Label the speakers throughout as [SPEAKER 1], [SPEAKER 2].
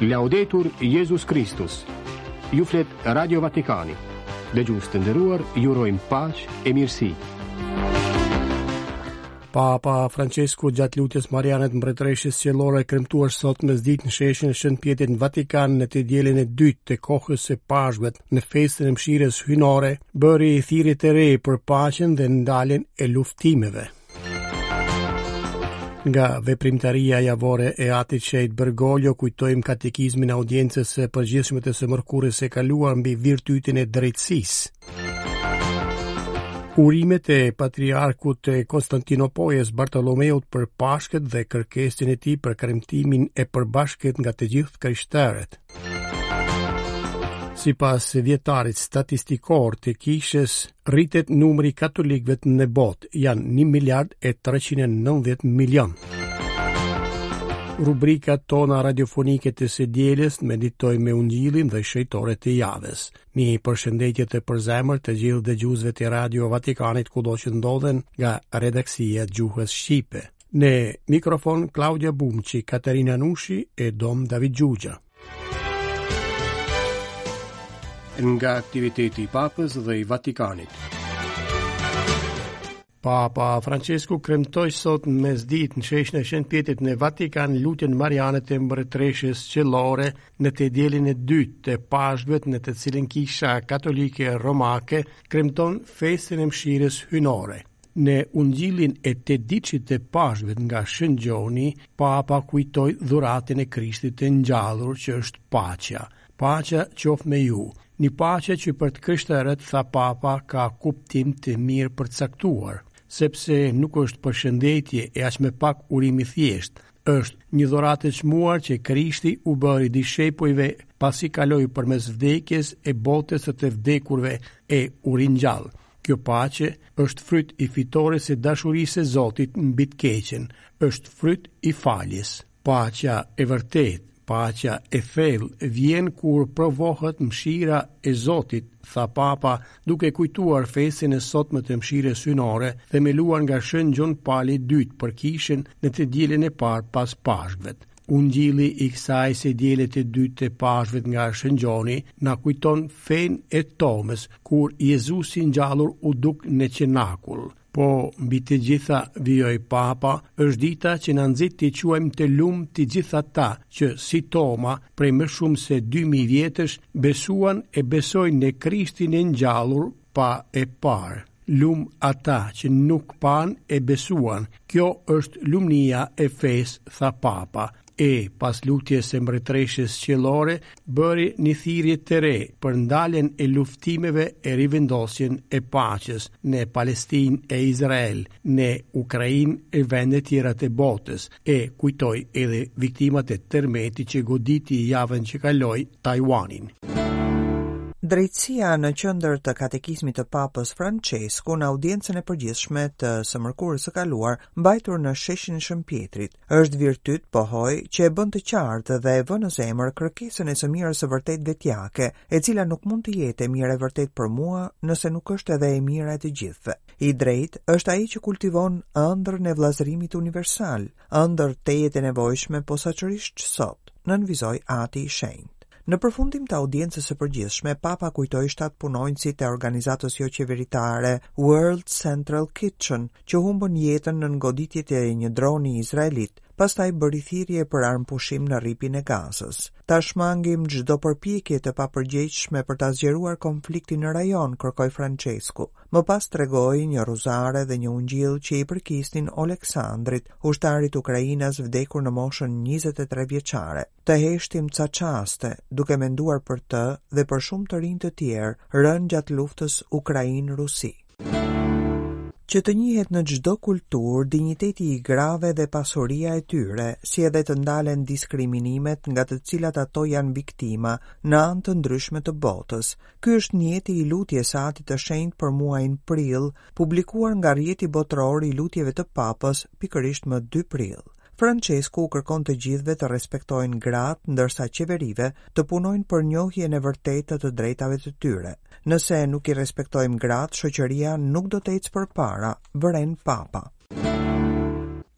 [SPEAKER 1] Laudetur Jezus Kristus. Ju flet Radio Vatikani. Dëgjues të nderuar, ju urojmë paqe e mirësi.
[SPEAKER 2] Papa Francesku gjatë lutjes Mariane të Mbretëreshës Qiellore kremtuar sot mesditë në sheshin e Shën Pjetrit në Vatikan në të dielën e dytë të kohës së Pashkëve në festën e mëshirës hyjnore, bëri thirrje të re për paqen dhe ndaljen e luftimeve. Nga veprimtaria javore e Atit Shenjt Bergoglio kujtojmë katekizmin e audiencës së përgjithshme të së mërkurës së kaluar mbi virtytin e drejtësisë. Urimet e patriarkut të Konstantinopojës Bartolomeut për Pashkët dhe kërkesën e tij për kremtimin e përbashkët nga të gjithë krishterët. Sipas vjetarit statistikor të kishës, rritet numri i katolikëve në botë, janë 1 miliard e 390 milion. Rubrikat tona radiofonike të së dielës meditojmë me Ungjillin dhe shenjtorët e javës. Një përshëndetje të përzemërt të gjithë dëgjuesve të Radio Vatikanit kudo që ndodhen nga redaksia e gjuhës shqipe. Në mikrofon Klaudia Bumçi, Katerina Nushi e Dom David Xhuxha.
[SPEAKER 1] Nga aktiviteti i Papës dhe i Vatikanit.
[SPEAKER 2] Papa Francesku kremtoi sot në mesditë në sheshin e Shën Pjetrit në Vatikan lutjen Mariane të Mbretëreshës Qiellore në të dielën e dytë të Pashkëve në të cilën Kisha Katolike Romake kremton festën e mëshirës hyjnore. Në Ungjillin e tetëditëshit të Pashkëve nga Shën Gjoni, Papa kujtoi dhuratën e Krishtit të ngjallur që është paqja. Paqja qoftë me ju. Një paqe që për të krishterët, tha Papa, ka kuptim të mirëpërcaktuar, sepse nuk është përshëndetje e aq më pak urim i thjeshtë, është një dhuratë e çmuar që Krishti u bëri dishepujve pasi kaloi përmes vdekjes e botës së të vdekurve e u ringjall. Kjo paqe është fryt i fitores së dashurisë së Zotit mbi të keqen, është fryt i faljes. Paqja e vërtetë, paqja e thellë vjen kur provohet mëshira e Zotit, tha Papa, duke kujtuar festën e sotme të mëshirës hyjnore, themeluar nga Shën Gjon Pali i Dytë për Kishën në të dielën e parë pas Pashkëve. Ungjilli i kësaj së diele të dytë të Pashkëve nga Shën Gjoni na kujton fenë e Tomës, kur Jezusi i ngjallur u duk në cenakull. Po, mbi të gjitha, vijoi Papa, është dita që na nxit t'i quajmë të lumtë të gjithë ata që, si Toma, prej më shumë se 2000 vjetësh, besuan e besojnë në Krishtin e ngjallur pa e parë. Lum ata që nuk panë e besuan, kjo është lumnia e fesë, tha Papa. E, pas lutjes së Mbretëreshës Qiellore, bëri një thirrje të re për ndaljen e luftimeve e rivendosjen e paqes në Palestinë e Izrael, në Ukrainë e vende tjera të botës, e kujtoi edhe viktimat e tërmetit që goditi javën që kaloi Taiwanin.
[SPEAKER 3] Drejtësia në qendër të katekizmit të Papës Françesku në audiencën e përgjithshme të së mërkurës së kaluar, mbajtur në sheshin e Shën Pjetrit, është virtyt, pohoi, që e bën të qartë dhe e vë në zemër kërkesën e së mirës së vërtetë vetjake, e cila nuk mund të jetë e mira e vërtetë për mua nëse nuk është edhe e mira e të gjithëve. I drejtë është ai që kultivon ëndrrën e vëllazërimit universal, ëndërr tejet e nevojshme posaçërisht sot, nënvizoi Ati i Shenjtë. Në përfundim të audiencës së përgjithshme, Papa kujtoi shtatë punonjësit e organizatës joqeveritare World Central Kitchen, që humbën jetën nën goditjet e një droni izraelit, pastaj bëri thirrje për armëpushim në Rripin e Gazës. Ta shmangim çdo përpjekje të papërgjegjshme për ta zgjeruar konfliktin në rajon, kërkoi Françesku. Më pas tregoi një rruzare dhe një ungjill që i përkisnin Oleksandrit, ushtarit ukrainas vdekur në moshën 23 vjeçare. Të heshtim ca çaste, duke menduar për të dhe për shumë të rinj të tjerë, rënë gjatë luftës Ukrainë-Rusi. Që të njihet në çdo kulturë dinjiteti i grave dhe pasuria e tyre, si edhe të ndalen diskriminimet nga të cilat ato janë viktima në anë të ndryshme të botës. Ky është nijeti i lutjes së Atit të Shenjtë për muajin prill, publikuar nga Rrjeti Botëror i Lutjeve të Papës pikërisht më 2 prill. Françesku u kërkon të gjithëve të respektojnë gratë, ndërsa qeverive të punojnë për njohjen e vërtetë të të drejtave të tyre. Nëse nuk i respektojmë gratë, shoqëria nuk do të ecë përpara, vëren Papa.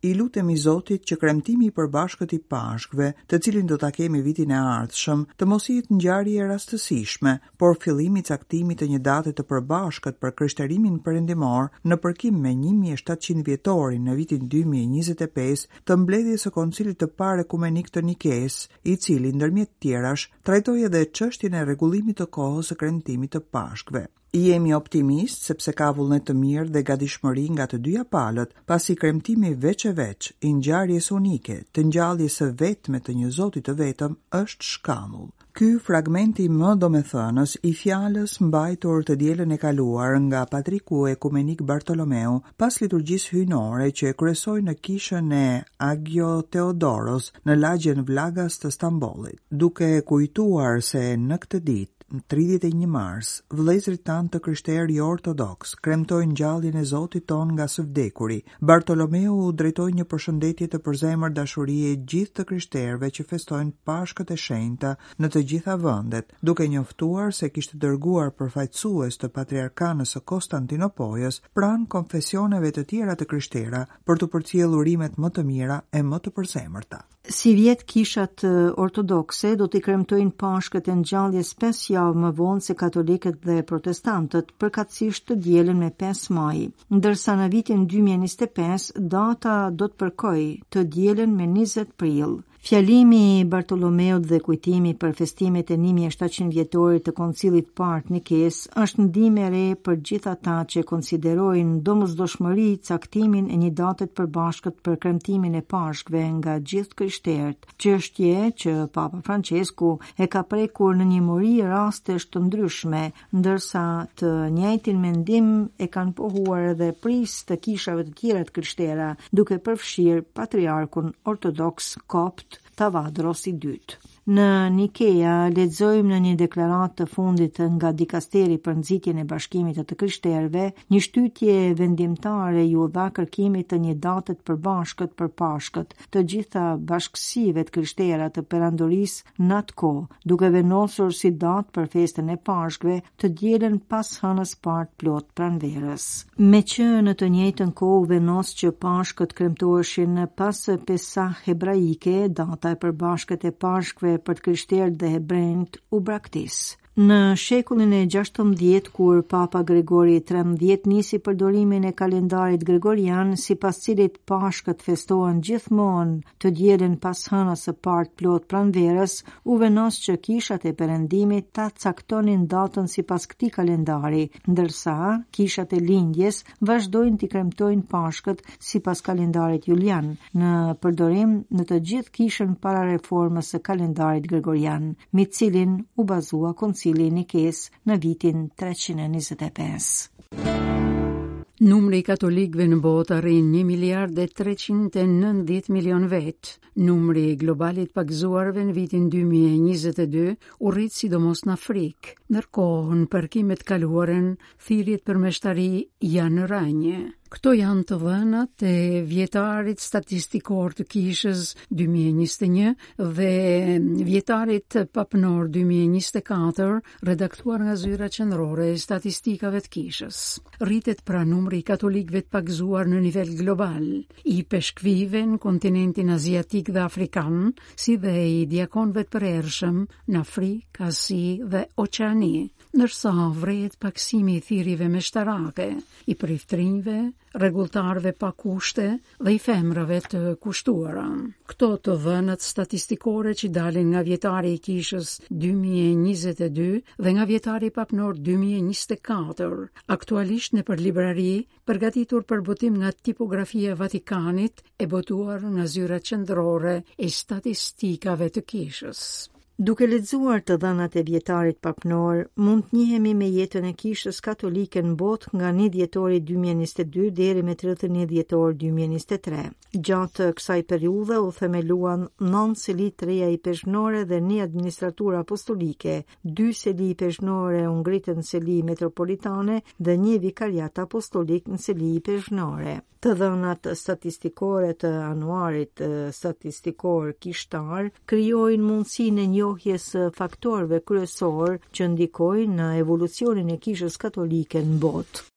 [SPEAKER 3] I lutemi Zotit që kremtimi i përbashkët i Pashkëve, të cilin do ta kemi vitin e ardhshëm, të mos jetë ngjarje e rastësishme, por fillim i caktimit të një date të përbashkët për krishterimin perëndimor në përkim me 1700 vjetorin në vitin 2025 të mbledhjes së Koncilit të Parë Ekumenik të Nikesë, i cili ndërmjet tjerash trajtoi edhe çështjen e rregullimit të kohës së kremtimit të Pashkëve. Jemi optimistë sepse ka vullnet të mirë dhe gatishmëri nga të dyja palët, pasi kremtimi veç e veç i ngjarjes unike, të ngjalljes së vetme të një Zoti të vetëm, është shkambull. Ky fragmenti më domethënës i fjalës mbajtur të dielën e kaluar nga Patriku Ekumenik Bartolomeu pas liturgjisë hyjnore që e kryesoi në kishën e Agio Teodoros në lagjen Vlagas të Stambollit, duke kujtuar se në këtë ditë Më 31 mars, vëllezërit tanë të krishterë joortodoksë kremtojnë ngjalljen e Zotit tonë nga së vdekuri. Bartolomeu u drejtoi një përshëndetje të përzemërt dashurie gjithë të krishterëve që festojnë Pashkët e Shenjta në të gjitha vendet, duke njoftuar se kishte dërguar përfaqësues të Patriarkanës së Konstantinopojës pranë konfesioneve të tjera të krishtera për t'u përcjellë urimet më të mira e më të përzemërta.
[SPEAKER 4] Sivjet kishat ortodokse do t'i kremtojnë Pashkët e Ngjalljes 5 javë më vonë se katolikët dhe protestantët, përkatësisht të dielën me 5 maj, ndërsa në vitin 2025 data do të përkojë të dielën me 20 prill. Fjalimi i Bartolomeut dhe kujtimi për festimet e 1700 vjetorit të Koncilit të Parë të Nikesë është ndihmë e re për gjithë ata që konsiderojnë domosdoshmëri caktimin e një date të përbashkët për kremtimin e Pashkëve nga gjithë të krishterët, çështje që Papa Françesku e ka prekur në një mori rastesh të ndryshme, ndërsa të njëjtin mendim e kanë pohuar edhe prijës të kishave të tjera të krishtera, duke përfshirë patriarkun ortodoks kopt Tavadros i dytë. Në Nikea lexojmë në një deklaratë të fundit nga dikasteri për nxitjen e bashkimit të të krishterëve, një shtytje vendimtare iu dha kërkimit të një date të përbashkët për Pashkët, të gjitha bashkësive të krishtera të perandorisë në atë kohë, duke vendosur si datë për festën e Pashkëve të dielën pas hënës parë të plotë pranverës. Meqë në të njëjtën kohë u vendos që Pashkët kremtoheshin pas Pesah hebraike, data e përbashkët e Pashkëve për të krishterët dhe hebrenjtë u braktis. Në shekullin e 16, kur Papa Gregori 13 nisi përdorimin e kalendarit gregorian, sipas cilit Pashkët festohen gjithmonë të dielën pas hënës së parë të plotë pranverës, u vendos që kishat e Perëndimit ta caktonin datën sipas këtij kalendari, ndërsa kishat e Lindjes vazhdojnë t'i kremtojnë Pashkët sipas kalendarit Julian, në përdorim në të gjithë kishën para reformës së kalendarit Gregorian, mbi të cilin u bazua Koncili i Nikesë në vitin 325.
[SPEAKER 5] Numri i katolikëve në botë arrin 1 miliard e 390 milion vetë. Numri global i të pagëzuarve në vitin 2022 u rrit sidomos në Afrikë. Ndërkohë, në përkim me të kaluarën, thirrjet për meshtari janë në rënie. Këto janë të dhënat e vjetarit statistikor të Kishës 2021 dhe vjetarit papnor 2024, redaktuar nga Zyra Qendrore e Statistikave të Kishës. Rritet pra numri i katolikëve të pagëzuar në nivel global, i ipeshkvijve në kontinentin aziatik dhe afrikan, si dhe i diakonëve të përhershëm në Afrikë, Azi dhe Oqeani. Ndërsa vërehet pakësimi i thirrjeve meshtarake, i priftërinjve, rregulltarëve pa kushte dhe i femrave të kushtuara. Këto të dhënat statistikore që dalin nga vjetari i Kishës 2022 dhe nga vjetari papnor 2024, aktualisht nëpër librari, përgatitur për botim nga Tipografia e Vatikanit e botuar nga Zyra Qendrore e Statistikave të Kishës.
[SPEAKER 4] Duke lexuar të dhënat e vjetarit papnor, mund të njihemi me jetën e Kishës Katolike në botë nga 1 dhjetori 2022 deri me 31 dhjetor 2023. Gjatë kësaj periudhe u themeluan 9 seli të reja ipeshkvnore dhe një administraturë apostolike, dy seli ipeshkvnore u ngritën seli metropolitane dhe një vikariat apostolik në seli ipeshkvnore. Të dhënat statistikore të anuarit statistikor kishtar krijojnë mundësinë e njohjes së faktorëve kryesorë që ndikojnë në evolucionin e Kishës Katolike në botë.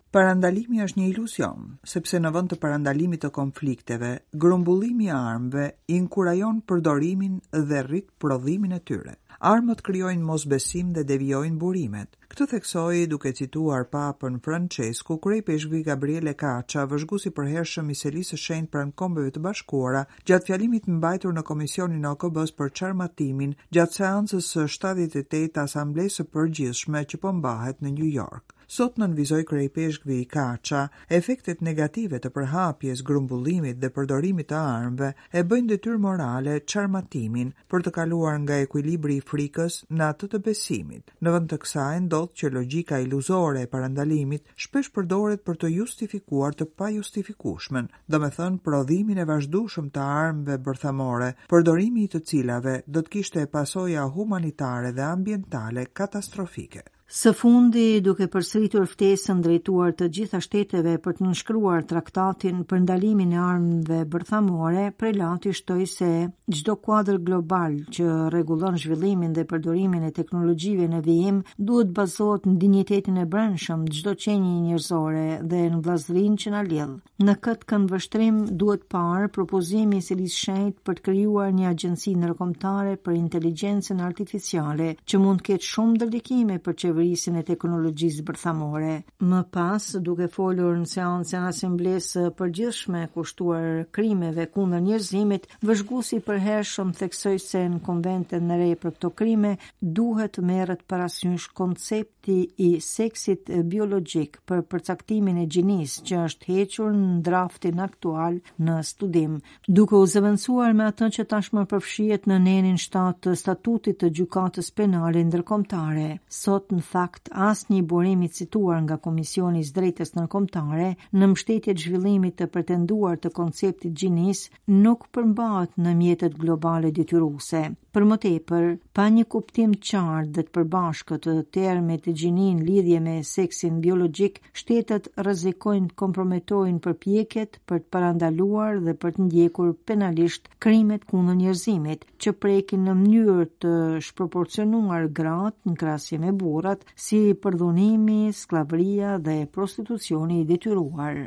[SPEAKER 3] Parandalimi është një iluzion, sepse në vend të parandalimit të konflikteve, grumbullimi i armëve inkurajon përdorimin dhe rrit prodhimin e tyre. Armët krijojnë mosbesim dhe devijojnë burimet. Këtë theksoi duke cituar Papën Françesku, kryeipeshkvi Gabriele Caccia, vëzhgues i përhershëm i Selisë së Shenjtë pranë Kombeve të Bashkuara, gjatë fjalimit mbajtur në Komisionin e OKB-së për Çarmatimin gjatë seancës së 78 të Asamblesë së Përgjithshme që po mbahet në New York. Sot nënvizoi kryeipeshkvi Caccia, efektet negative të përhapjes, grumbullimit dhe përdorimit të armëve e bëjnë detyrë morale çarmatimin për të kaluar nga ekuilibri i frikës në atë të besimit. Në vend të kësaj ndodh që logjika iluzore e parandalimit shpesh përdoret për të justifikuar të pajustifikueshmen, domethënë prodhimin e vazhdueshëm të armëve bërthamore, përdorimi i të cilave do të kishte pasoja humanitare dhe ambientale katastrofike.
[SPEAKER 4] Së fundi, duke përsëritur ftesën drejtuar të gjitha shteteve për të nënshkruar traktatin për ndalimin e armëve bërthamore, prelati shtoi se çdo kuadër global që rregullon zhvillimin dhe përdorimin e teknologjive në vijim duhet të bazohet në dinjitetin e brendshëm të çdo qenie njerëzore dhe në vëllazërinë që na lidh. Në këtë këndvështrim duhet parë propozimi i Selisë së Shenjtë për të krijuar një agjenci ndërkombëtare për inteligjencën artificiale që mund të ketë shumë ndërlikime për qeverisjen e teknologjisë bërthamore. Më pas, duke folur në seancën e Asamblesë së Përgjithshme kushtuar krimeve kundër njerëzimit, vëzhguesi i përhershëm theksoi se në konventën e re për këto krime duhet të merret parasysh koncepti i seksit biologjik për përcaktimin e gjinisë që është hequr në draftin aktual në studim, duke u zëvendësuar me atë që tashmë përfshihet në nenin 7 të statutit të Gjykatës Penale Ndërkombëtare. Sot, në fakt, asnjë burim i cituar nga Komisioni i së Drejtës Ndërkombëtare në mbështetje të zhvillimit të pretenduar të konceptit gjinisë nuk përmbahet në mjetet globale detyruese. Për më tepër, pa një kuptim të qartë dhe të përbashkët të termit gjini në lidhje me seksin biologjik, shtetet rrezikojnë të komprometojnë përpjekjet për të parandaluar dhe për të ndjekur penalisht krimet kundër njerëzimit, që prekin në mënyrë të shproporcionuar gratë në krahasim me burrat, si përdhunimi, skllavëria dhe prostitucioni i detyruar.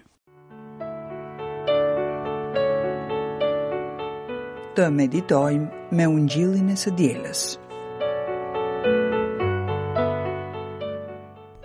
[SPEAKER 3] Të meditojmë me ungjillin e së dielës.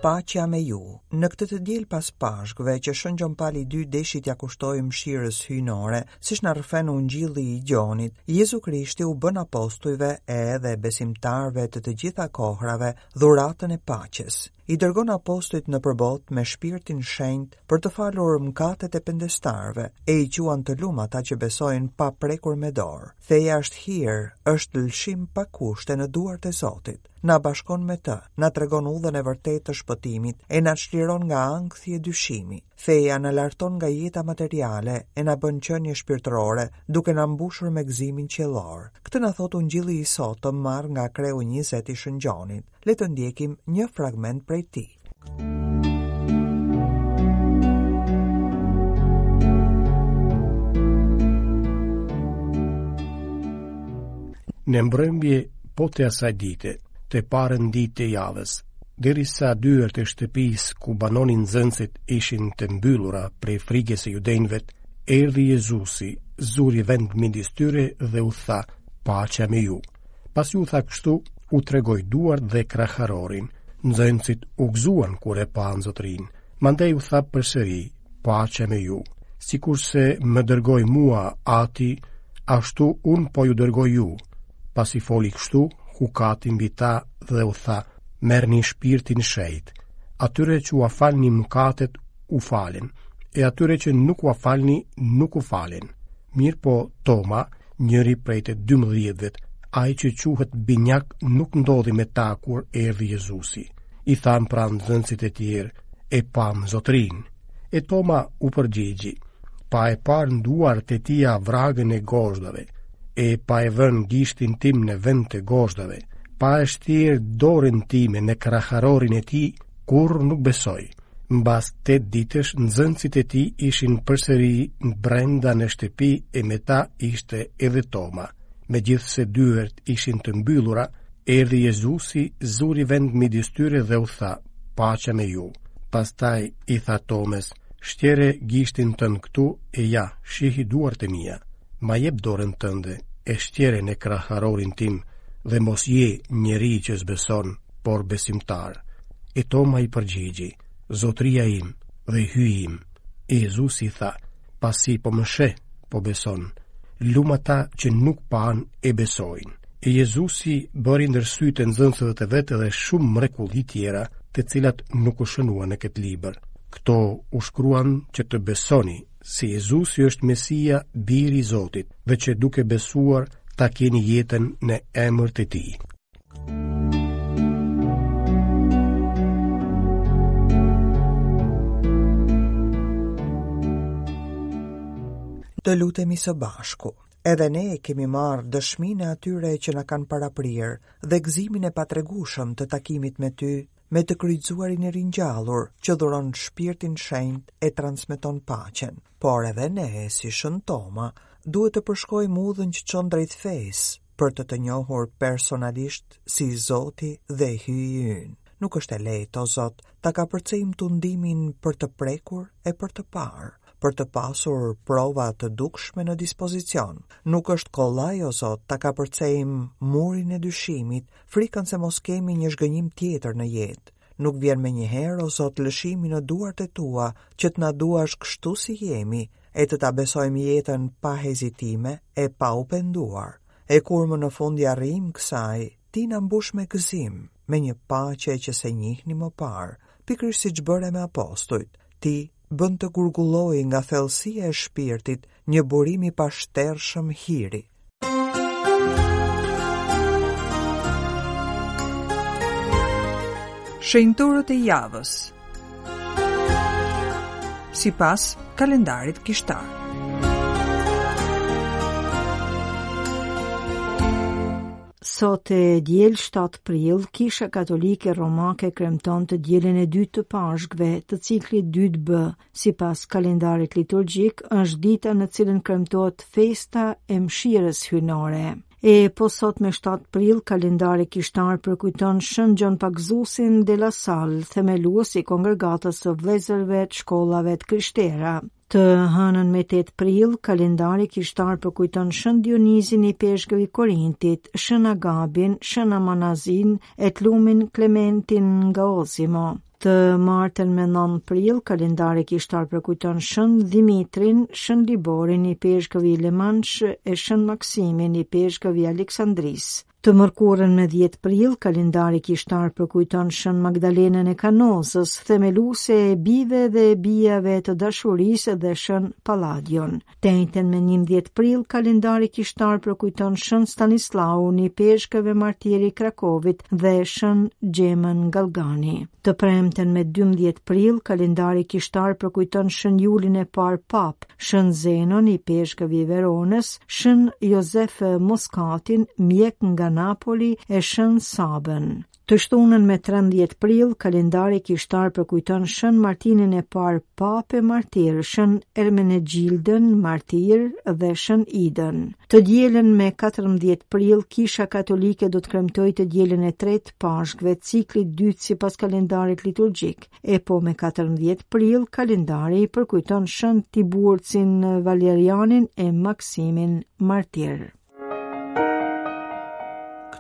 [SPEAKER 3] Paqja me ju. Në këtë të diel pas Pashkëve që Shën Gjon Pali II deshi t'ia kushtojë mëshirës hyjnore, siç na rrëfen Ungjilli i Gjonit, Jezu Krishti u bën apostujve e edhe besimtarëve të të gjitha kohrave dhuratën e paqes. I dërgon apostujt nëpër botë me shpirtin shenjt për të falur mëkatet e pendestarëve, e i quan të lum ata që besojnë pa prekur me dorë. Feja është hir, është lëshim pa kushte në duart e Zotit. Na bashkon me të, na tregon udhën e vërtetë të shpëtimit e na çliron nga ankthi e dyshimi. Feja na larton nga jeta materiale e na bën qenie shpirtërore, duke na mbushur me gëzimin qiellor. Këtë na thotë Ungjilli i sotëm marrë nga kreu 20 i Shën Gjonit. Le të ndjekim një fragment prej tij.
[SPEAKER 2] Në mbrëmje po të asaj dite, të parën ditë të javës, derisa dyert e shtëpisë ku banonin nxënësit ishin të mbyllura prej frikës së judenjve, erdhi Jezusi, zuri vend midis tyre dhe u tha, paqja me ju. Pasi u tha kështu, u tregoi duart dhe kraharorin. Nxënësit u gëzuan kur e panë Zotërinë. Mandej u tha përsëri, paqja me ju. Sikurse më dërgoi mua Ati, ashtu unë po ju dërgoj ju. Pasi foli kështu, hukati mbi ta dhe u tha, merrni shpirtin shenjt. Atyre që ua falni mëkatet, u falen, e atyre që nuk ua falni, nuk u falen. Mirëpo Toma, njëri prej të dymbëdhjetëve, ai që quhet Binjak nuk ndodhej me ta kur erdhi Jezusi. I thanë pra nxënësit e tjerë, e pamë Zotërinë. E Toma u përgjigji, pa e parë në duart e tija vragën e gozhdave, e pa e vënë gishtin tim në vend të gozhdave, pa e shtjerë dorën time në kraharorin e tij, kurrë nuk besoj. Mbas tetë ditësh nxënësit e tij ishin përsëri brenda në shtëpi e me ta ishte edhe Toma. Megjithëse dyert ishin të mbyllura, erdhi Jezusi, zuri vend midis tyre dhe u tha, Paqja me ju. Pastaj i tha Tomës, Shtjere gishtin tënd këtu e ja, shihi duart e mia. Ma jep dorën tënde e shtjere në kraharorin tim dhe mos je njeri që s'beson, por besimtar. E Toma i përgjigji, Zotëria im dhe Hyji im. E Jezusi i tha, pasi po më sheh, po beson. Lum ata që nuk panë e besojnë. E Jezusi bëri ndër sytë e nxënësve të vet edhe shumë mrekulli tjera, të cilat nuk u shënuan në këtë libër. Këto u shkruan që të besoni se Jezusi është Mesia, biri i Zotit, dhe që duke besuar ta keni jetën në emër të tij.
[SPEAKER 3] Të lutemi së bashku. Edhe ne e kemi marrë dëshminë e atyre që na kanë paraprirë dhe gëzimin e patregueshëm të takimit me ty, me të kryqëzuarin e ringjallur që dhuron shpirtin shenjt e transmeton paqen. Por edhe ne, si Shën Toma, duhet të përshkojmë udhën që çon drejt fesë, për të të njohur personalisht si Zoti dhe Hyji ynë. Nuk është e lehtë, o Zot, ta kapërcejmë tundimin për të prekur e për të parë, për të pasur prova të dukshme në dispozicion. Nuk është kollaj, o Zot, ta kapërcejmë murin e dyshimit, frikën se mos kemi një zhgënjim tjetër në jetë. Nuk vjen menjëherë, o Zot, lëshimi në duart e tua, që të na duash kështu si jemi, e të ta besojmë jetën pa hezitime e pa u penduar. E kur më në fund ia arrijmë kësaj, ti na mbush me gëzim, me një paqe që s'e njihnim më parë, pikërisht siç bëre me apostujt. Ti bën të gurgullojë nga thellësia e shpirtit një burim i pashtershëm hiri. Shenjtorët e javës Sipas kalendarit kishtar
[SPEAKER 4] Sot e diel 7 prill, Kisha Katolike Romake kremton të dielën e dytë të Pashkëve, të ciklit 2B, Sipas kalendarit liturgjik, është dita në cilën kremtohet festa e mëshirës hyjnore. E po sot me 7 prill, kalendari kishtar përkujton Shën Gjon Pagëzuesin de la Salle, themelues i kongregatës së vëllezërve të shkollave të krishtera. Të hënën me 8 prill, kalendari kishtar përkujton Shën Dionizin ipeshkëv i Korintit, Shën Agabin, Shën Amanazin e të lumin Klementin nga Osimo. Të martën me 9 prill, kalendari kishtar përkujton Shën Dhimitrin, Shën Liborin, ipeshkëv i Le Mans e Shën Maksimin, ipeshkëv i Aleksandrisë. Të mërkurën me 10 prill, kalendari kishtar përkujton Shën Magdalenën e Kanosës, themeluese e bijve dhe bijave të dashurisë dhe Shën Palladion. Të enjten me 11 prill, kalendari kishtar përkujton Shën Stanislaun, ipeshkëv e martir i Krakovit dhe Shën Xhemën Galgani. Të premten me 12 prill, kalendari kishtar përkujton Shën Julin e parë Papë, Shën Zenon, ipeshkëv i Veronës, Shën Jozef Moskatin, mjek nga Napoli e Shën Sabën. Të shtunën me 13 prill, kalendari kishtar përkujton Shën Martinin e parë Papë e martir, Shën Ermenegjildën martir dhe Shën Idën. Të dielën me 14 prill, Kisha Katolike do të kremtojë të dielën e tretë Pashkëve, ciklit dytë sipas kalendarit liturgjik. E po me 14 prill, kalendari përkujton Shën Tiburcin Valerianin e Maksimin martir.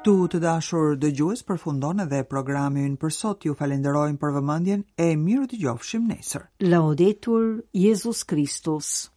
[SPEAKER 3] Këtu të dashur dëgjues përfundon edhe programi ynë për sot. Ju falenderojmë për vëmendjen e mirudëgjofshim nesër.
[SPEAKER 4] Laudetur Jezus Kristus.